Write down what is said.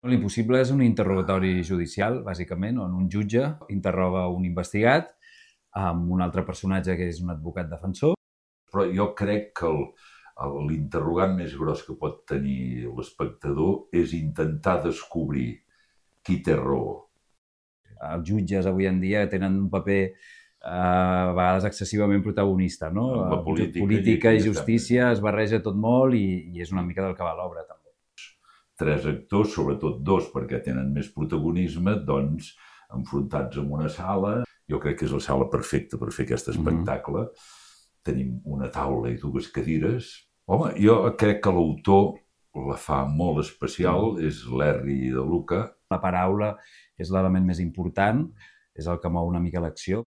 L'impossible és un interrogatori judicial, bàsicament, on un jutge interroga un investigat amb un altre personatge que és un advocat defensor. Però jo crec que l'interrogant més gros que pot tenir l'espectador és intentar descobrir qui té raó. Els jutges avui en dia tenen un paper a vegades excessivament protagonista, no? La política i justícia es barreja tot molt i és una mica del que va l'obra, també. 3 actors, sobretot 2, perquè tenen més protagonisme, doncs, enfrontats en una sala. Jo crec que és la sala perfecta per fer aquest espectacle. Tenim una taula i 2 cadires. Home, jo crec que l'autor la fa molt especial, és l'Herri de Luca. La paraula és l'element més important, és el que mou una mica l'acció.